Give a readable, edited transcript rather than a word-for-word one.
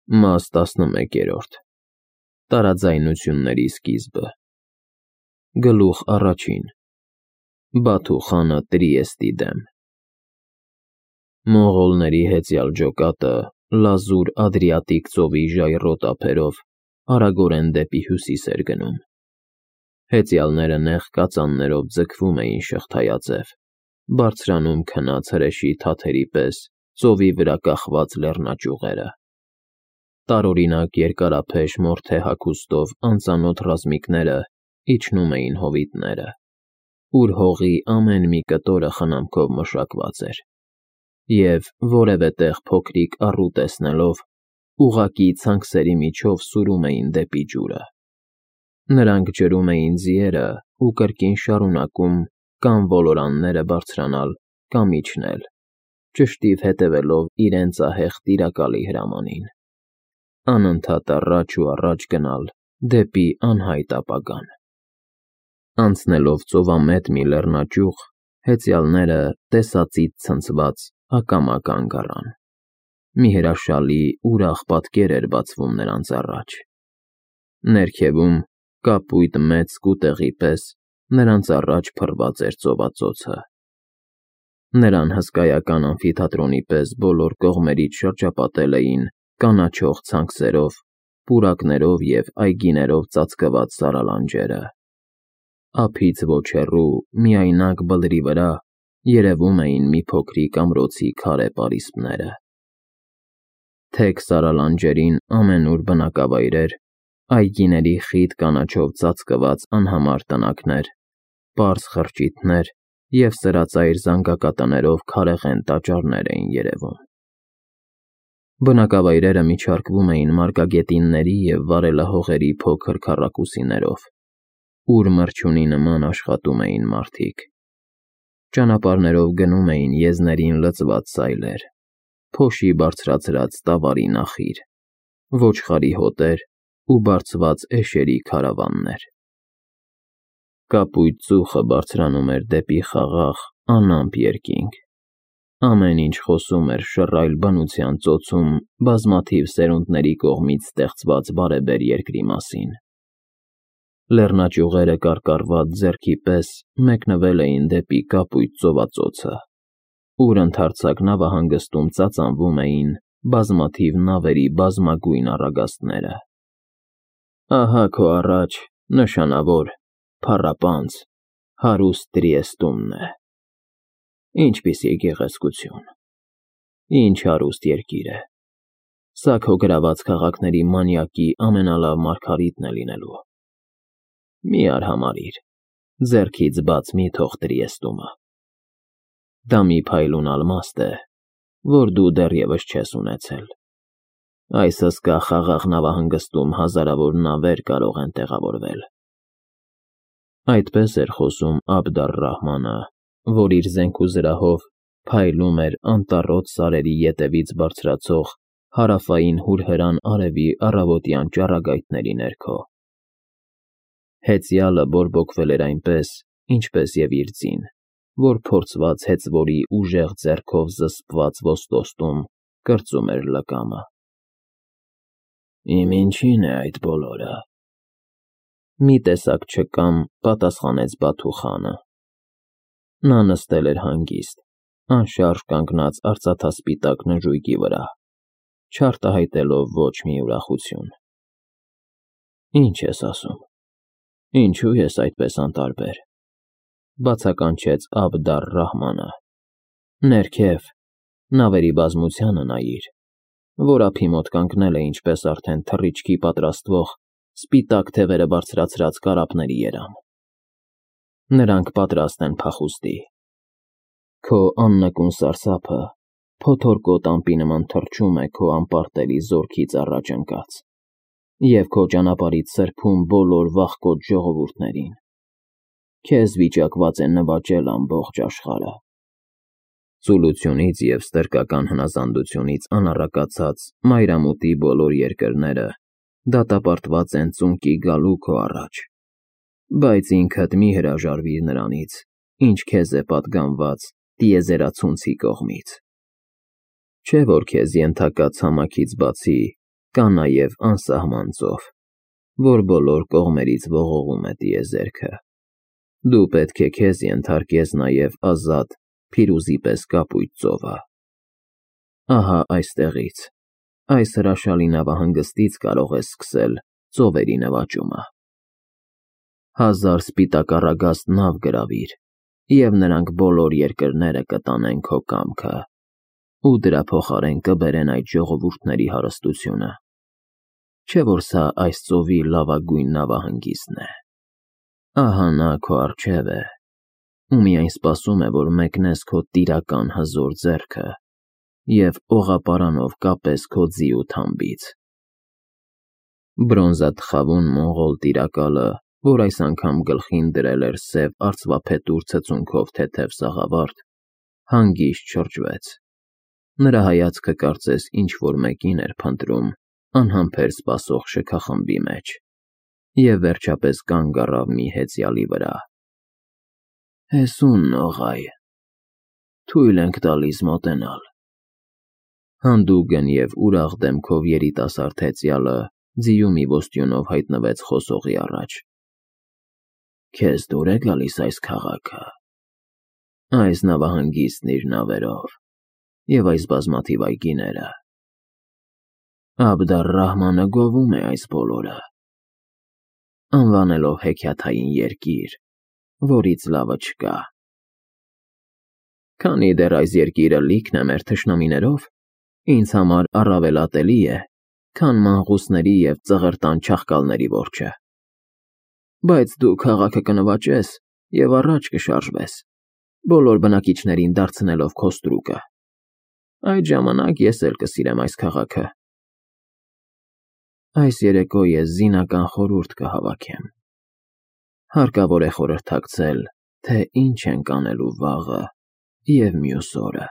Մաս 11. Տարաձայնությունների սկիզբը։ Գլուխ առաջին. Բաթու խանը Տրիեստի դեմ։ Մոնղոլների հեծյալ ջոկատը լազուր Ադրիատիկ ծովի ժայռոտ ափերով արագորեն դեպի հյուսիս էր գնում։ Հեծյալները նեղ կածաններով ձգվում էին շղթայաձև, բարձրանում քնած հրեշի թաթերի պես ծովի վրա կախված լեռնաճյուղերը։ Տարօրինակ երկարափեշ մորթե հագուստով անծանոթ ռազմիկները իջնում էին հովիտները, ուր հողի ամեն մի կտորը խնամքով մշակված էր, և որևէ տեղ փոքրիկ առու տեսնելով, ուղղակի ցանքսերի միջով սուրում էին դեպի ջուրը։ Նրանք ջրում էին ձիերը ու կրկին շարունակում կամ ոլորանները բարձրանալ կամ իջնել, ճշտիվ հետևելով իրենց ահեղ տիրակալի հրամանին, անընդհատ առաջ ու առաջ գնալ դեպի անհայտ ապագան։ Անցնելով ծովամետ մի լեռնաճյուղ, հեծյալները տեսածից ցնցված ակամա կանգ առան։ Մի հրաշալի ուրախ պատկեր էր բացվում նրանց առաջ։ Ներքևում, կապույտ մեծ սկուտեղի պես, նրանց առաջ փռված էր ծովածոցը։ Նրան հսկայական ամֆիթատրոնի պես բոլոր կողմերից շրջապատել էին կանաչող ցանքսերով, պուրակներով և այգիներով ծածկված սարալանջերը։ Ափից ոչ հեռու, միայնակ բլրի վրա, երևում էին մի փոքրիկ ամրոցի քարե պարիսպները։ Թեք սարալանջերին ամենուր բնակավայրեր, այգիների խիտ կանաչով ծածկված անհամար տնակներ, պարզ խրճիթներ և սրածայր զանգակատներով քարեղեն տաճարներ էին երևում։ Բնակավայրերը միջարկվում էին մարգագետինների և վարելահողերի փոքր քառակուսիներով, ուր մրջյունի նման աշխատում էին մարդիկ։ Ճանապարհներով գնում էին եզներին լցված սայլեր, փոշի բարձրացրած տավարի նախիր, ոչխարի հոտեր ու բարձված էշերի քարավաններ։ Կապույտ ծուխը բարձրանում էր դեպի խաղաղ, անամպ երկինք։ Ամեն ինչ խոսում էր շռայլ բնության ծոցում բազմաթիվ սերունդների կողմից ստեղծված բարեբեր երկրի մասին։ Լեռնաճյուղերը կարկառված ձեռքի պես մեկնվել էին դեպի կապույտ ծովածոցը, ուր ընդարձակ նավահանգստում ծածանվում էին բազմաթիվ նավերի բազմագույն առագաստները։ Ահա քո առաջ նշանավոր, փառապանծ, հարուստ Տրիեստումն է։ Ինչպիսի գեղեցկություն, ինչ հարուստ երկիր է։ Սա քո գրաված քաղաքների մանյակի ամենալավ մարգարիտն է լինելու։ Մի արհամարհիր, ձեռքից բաց մի թող Տրիեստումը։ Դա մի փայլուն ալմաստ է, որ դու դեռևս չես ունեցել։ Այս հսկա խաղաղ նավահանգստում հազարավոր նավեր կարող են տեղավորվել։ Այդպես էր խոսում Աբդ ալ֊Ռահմանը, որ իր զենքուզրահով փայլում էր անտառոտ սարերի ետևից բարձրացող հարավային հուրհրան արևի առավոտյան ճառագայթների ներքո։ Հեծյալը բորբոքվել էր այնպես, ինչպես և իր ձին, որ փորձված հեծվորի ուժեղ ձեռքով զսպված ոստոստում կրծում էր լկամը։ Իմ ինչին է այդ բոլորը։ Մի տեսակ չկամ, պատասխանեց Բաթու խանը։ Նա նստել էր հանգիստ, անշարժ կանգնած արծաթասպիտակ նժույգի վրա, չարտահայտելով ոչ մի ուրախություն։ Ինչ ես ասում։ Ինչու ես այդպես անտարբեր, բացականչեց Աբդ ալ-Ռահմանը։ Ներքև, նավերի բազմությանը նայիր, որ ափի մոտ կանգնել է ինչպես արդեն թռիչքի պատրաստվող սպիտակ թևերը բարձրացրած կարապների երամ։ Նրանք պատրաստ են փախուստի։ Քո աննկուն սարսափը փոթորկոտ ամպի նման թռչում է քո անպարտելի զորքից առաջ ընկած և քո ճանապարհից սրբում բոլոր վախկոտ ժողովուրդներին։ Քեզ վիճակված է նվաճել ամբողջ աշխարհը։ Ծուլությունից և ստրկական հնազանդությունից անառակացած մայրամուտի բոլոր երկրները դատապարտված են ծունկի գալու քո առաջ, բայց ինքդ մի հրաժարվիր նրանից, ինչ քեզ է պատգամված տիեզերացունցի կողմից։ Չէ՞ որ քեզ ենթակա ցամաքից բացի Կա նաև անսահման ծով, որ բոլոր կողմերից ողողում է տիեզերքը։ Դու պետք է քեզ ենթարկես նաև ազատ, փիրուզի պես կապույտ ծովը։ Ահա այստեղից, այս հրաշալի նավահանգստից կարող ես սկսել ծովերի նվաճումը։ 1000 սպիտակառագաստ նավ գրավիր, և նրանք բոլոր երկրները կտանեն քո կամքը, ու դրա փոխարեն կբերեն այդ ժողովուրդների հարստությունը։ Չէ՞ որ սա այս ծովի լավագույն նավահանգիստն է։ Ահա նա քո առջև է, ու միայն սպասում է, որ մեկնես քո տիրական հզոր ձեռքը և օղապարանով կապես քո ձի ու թամբից։ Բրոնզաթխավուն մոնղոլ տիրակալը, որ այս անգամ գլխին դրել էր սև արծվափետուր ցցունքով թեթև սաղավարտ, հանգիստ շրջվեց։ Նրա հայացքը կարծես ինչ-որ մեկին էր փնտրում անհամբեր սպասող շքախմբի մեջ, և վերջապես կանգ առավ մի հեծյալի վրա։ Հեսուն նողայ, թույլ ենք տալիս մոտենալ։ Հանդուգն և ուրախ դեմքով երիտասարդ հեծյալը ձիու մի ոստյունով հայտնվեց խոսողի առաջ։ Քեզ դուր է գալիս այս քաղաքը, այս նավահանգիստն իր նավերով և այս բազմաթիվ այգիները։ Աբդալ֊Ռահմանը գովում է այս բոլորը, անվանելով հեքիաթային երկիր, որից լավը չկա։ Քանի դեռ այս երկիրը լիքն է մեր թշնամիներով, ինձ համար առավել ատելի է, քան մանղուսների և ծղրտան չաղկալների որջը։ Բայց դու քաղաքը կնվաճես և առաջ կշարժվես, բոլոր բնակիչներին դարձնելով քո ստրուկը։ Այդ ժամանակ ես էլ կսիրեմ այս քաղաքը։ Այս երեկո ես զինական խորհուրդ կհավաքեմ։ Հարկավոր է խորհրդակցել, թե ինչ ենք անելու վաղը և մյուս օրը։